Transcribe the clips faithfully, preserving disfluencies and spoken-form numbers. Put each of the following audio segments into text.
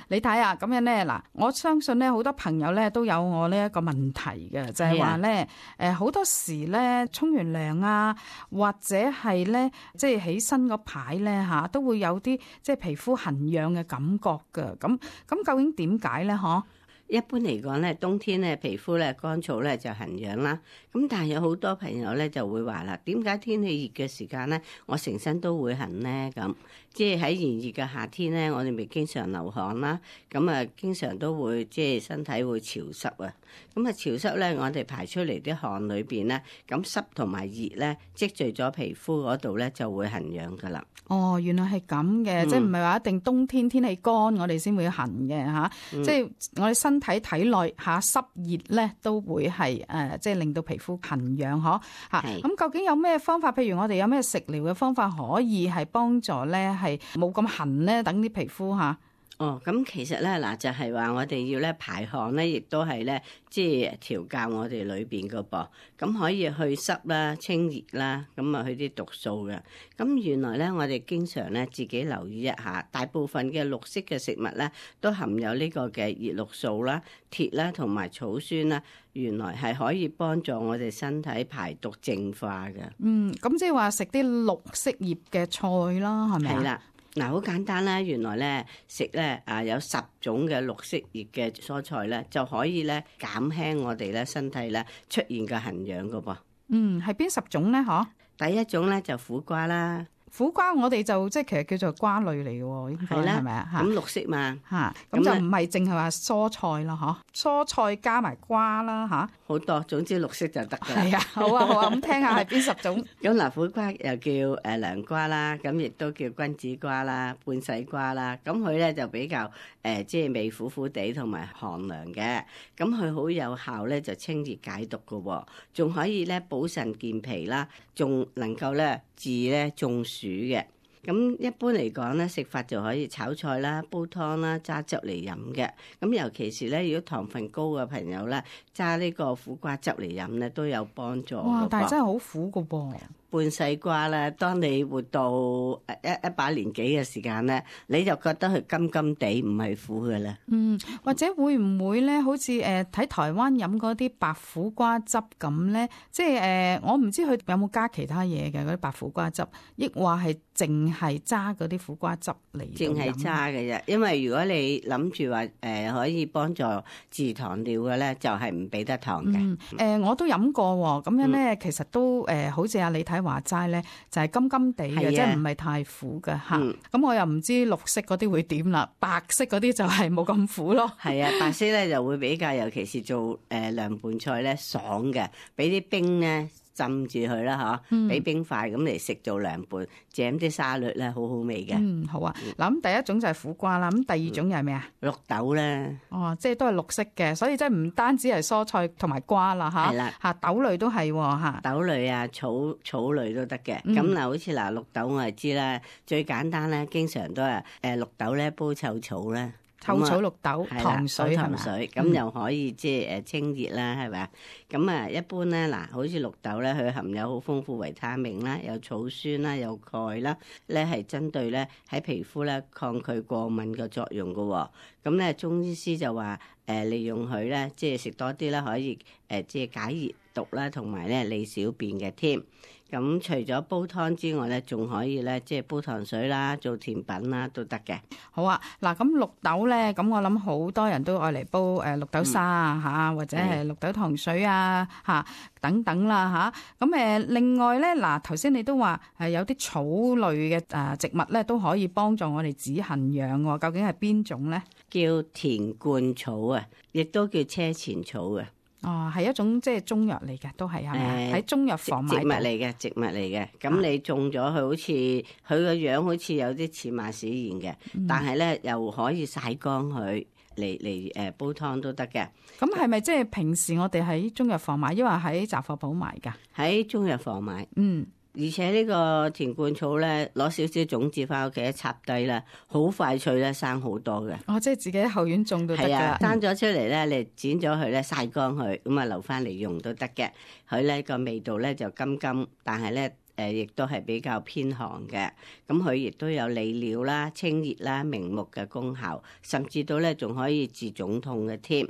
你睇下咁樣咧，嗱，我相信咧好多朋友咧都有我呢一個問題嘅，就係話咧，誒好多時咧沖完涼啊，或者係咧即係起身嗰排咧嚇，都會有啲即係皮膚痕癢嘅感覺㗎。咁咁究竟點解咧？嗬？一般嚟講咧，冬天咧皮膚咧乾燥咧就痕癢啦。咁但係有好多朋友咧就會話啦，點解天氣熱嘅時間咧，我成身都會痕咧？咁即係喺炎熱嘅夏天咧，我哋咪經常流汗啦。咁啊，經常都會即係身體會潮濕啊。咁啊，潮濕咧，我哋排出嚟啲汗裏邊咧，咁濕同埋熱咧積聚咗皮膚嗰度咧就會痕癢噶啦。哦，原來係咁嘅，嗯、即係唔係話一定冬天天氣乾我哋先會痕嘅嚇，嗯、即係我哋身體體內嚇濕熱咧都會係誒、呃，即係令到皮膚痕癢嗬嚇。咁是究竟有咩方法？譬如我哋有咩食療嘅方法可以係幫助咧係冇咁痕咧？等啲皮膚嚇。哦，咁其實咧嗱，就係話我哋要咧排汗咧，亦都係咧即係調教我哋裏邊個噃，咁可以去濕啦、清熱啦，咁啊去啲毒素嘅。咁原來咧，我哋經常咧自己留意一下，大部分嘅綠色嘅食物咧都含有呢個嘅葉綠素啦、鐵啦同埋草酸啦，原來係可以幫助我哋身體排毒淨化嘅。嗯，咁即係話食啲綠色葉嘅菜啦，係咪啊？係啦。嗱，好簡單啦，原來咧食咧啊有十種嘅綠色葉嘅蔬菜咧，就可以咧減輕我哋咧身體咧出現嘅痕癢噶噃。嗯，係邊十種咧？嗬，第一種咧就苦瓜啦。苦瓜我哋就即係其實叫做瓜類嚟嘅喎，應該係咪啊？咁綠色嘛嚇，咁就唔係淨係話蔬菜啦，嗬，蔬菜加埋瓜啦嚇，好多，總之綠色就得㗎。係啊，好啊好啊，咁聽下係邊十種？咁嗱，苦瓜又叫誒涼瓜啦，咁亦都叫君子瓜啦、半洗瓜啦，咁佢咧就比較誒即係味苦苦地同埋寒涼嘅，咁佢好有效咧就清熱解毒㗎喎，仲可以咧補腎健脾啦，仲能夠咧治咧中暑嘅。咁一般嚟講咧，食法就可以炒菜啦、煲湯啦、揸汁嚟飲嘅。咁尤其是咧，如果糖分高嘅朋友咧，揸呢個苦瓜汁嚟飲咧，都有幫助。哇！但係真係好苦㗎噃。半西瓜咧，當你活到一一把年紀嘅時間咧，你就覺得佢甘甘地唔係苦嘅啦。嗯，或者會唔會咧，好似誒睇台灣飲嗰啲白苦瓜汁咁咧？即係誒、呃，我唔知佢有冇加其他嘢嘅嗰啲白苦瓜汁，抑或係淨係揸嗰啲苦瓜汁嚟飲？淨係揸嘅啫，因為如果你諗住話誒可以幫助治糖尿嘅咧，就係唔俾得糖嘅。誒、嗯呃，我都飲過喎，咁樣咧，其實都誒、呃，好似阿李太話齋咧，就係甘甘地嘅，即係唔係太苦嘅嚇。咁、嗯、我又唔知綠色嗰啲會點啦，白色嗰啲就係冇咁苦咯。係啊，白色咧就會比較，尤其是做誒涼拌菜咧爽嘅，俾啲冰咧浸住佢啦嚇，俾冰塊咁嚟食做涼拌，整啲沙律咧好好味嘅。嗯，好啊。嗱咁第一種就係苦瓜啦，咁第二種又係咩啊？綠豆咧。哦，即係都係綠色嘅，所以即係唔單止係蔬菜同埋瓜啦嚇。係啦。嚇豆類都係喎嚇。豆類啊，草草類都得嘅。咁嗱、嗯，好似嗱綠豆我係知啦，最簡單咧，經常都係誒綠豆咧煲臭草咧。臭草綠豆糖水係嘛？咁又可以即係誒清熱啦，係咪？咁啊，一般咧嗱，好似綠豆咧，佢含有好豐富維他命啦，有草酸啦，有鈣啦，咧係針對咧喺皮膚咧抗拒過敏嘅作用㗎喎。咁咧中醫師就話誒利用佢咧，即係食多啲啦，可以誒即係解熱毒啦，同埋咧利小便嘅添。咁除咗煲湯之外咧，仲可以咧，即係煲糖水啦，做甜品啦，都得嘅。好啊，嗱咁綠豆咧，咁我諗好多人都愛嚟煲誒綠豆沙啊嚇，或者係綠豆糖水啊嚇等等啦嚇。咁誒另外咧，嗱頭先你都話係有啲草類嘅誒植物咧，都可以幫助我哋止痕癢喎。究竟係邊種咧？叫田冠草啊，亦都叫車前草啊。哦，係一種即係中藥嚟嘅，都係係咪？喺中藥房買植物嚟嘅，植物嚟嘅。咁你種咗佢，好似佢個樣好似有啲似馬屎莧嘅，嗯、但係咧又可以曬乾佢嚟嚟誒煲湯都得嘅。咁係咪即係平時我哋喺中藥房買，抑或喺雜貨鋪買㗎？喺中藥房買。嗯。而且呢個田冠草咧，攞少少種子翻屋企一插低啦，好快脆咧，生好多嘅。哦，即係自己喺後院種都得㗎。係啊，生咗出嚟咧，你剪咗佢咧，曬乾佢，咁啊留翻嚟用都得嘅。佢咧個味道咧就甘甘，但係咧誒亦都係比較偏寒嘅。咁佢亦都有利尿啦、清熱啦、明目嘅功效，甚至到咧仲可以治腫痛嘅添。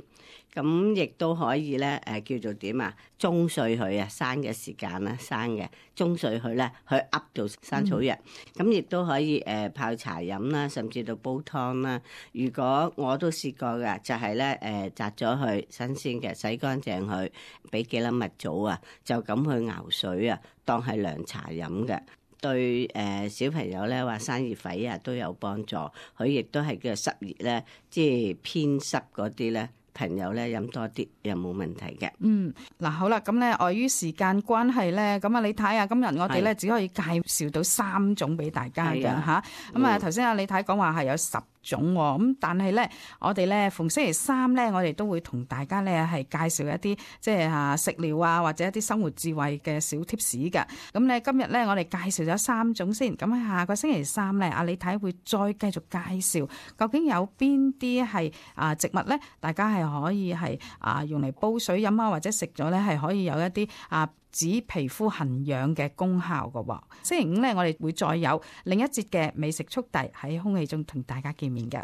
咁亦都可以咧，誒叫做點啊？中碎佢啊，生嘅時間啦，生嘅中碎佢咧，去噏到生草藥。咁亦都可以誒泡茶飲啦，甚至到煲湯啦。如果我都試過㗎，就係咧誒摘咗佢新鮮嘅，洗乾淨佢，俾幾粒蜜棗啊，就咁去熬水啊，當係涼茶飲嘅。對誒小朋友咧話生熱痱啊都有幫助。佢亦都係叫濕熱咧，即係偏濕嗰啲咧。朋友咧飲多啲又冇問題嘅。嗯，嗱好啦，咁咧礙於時間關係咧，咁啊你睇下今日我哋咧只可以介紹到三種俾大家嘅嚇。咁啊頭先阿李太講話係有十種喎，咁但係咧我哋咧逢星期三咧，我哋都會同大家咧係介紹一啲即係嚇食療啊，或者一啲生活智慧嘅小貼士㗎。咁咧今日咧我哋介紹咗三種先，咁喺下個星期三咧，阿李太會再繼續介紹究竟有邊啲係啊植物咧，大家係可以係啊用嚟煲水飲啊，或者食咗咧係可以有一啲啊止皮膚痕癢嘅功效嘅喎。星期五咧，我哋會再有另一節嘅美食速遞喺空氣中同大家見面嘅。